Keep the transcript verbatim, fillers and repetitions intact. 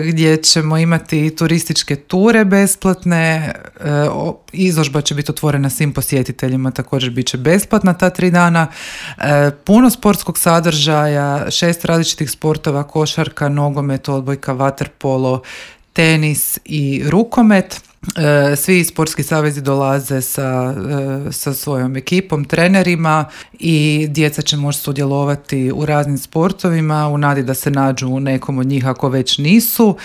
gdje ćemo imati turističke ture besplatne, izložba će biti otvorena svim posjetiteljima, također bit će besplatna ta tri dana, puno sportskog sadržaja, šest različitih sportova, košarka, nogomet, odbojka, vaterpolo, tenis i rukomet. Svi sportski savezi dolaze sa, sa svojom ekipom, trenerima i djeca će moći sudjelovati u raznim sportovima u nadi da se nađu u nekom od njih ako već nisu.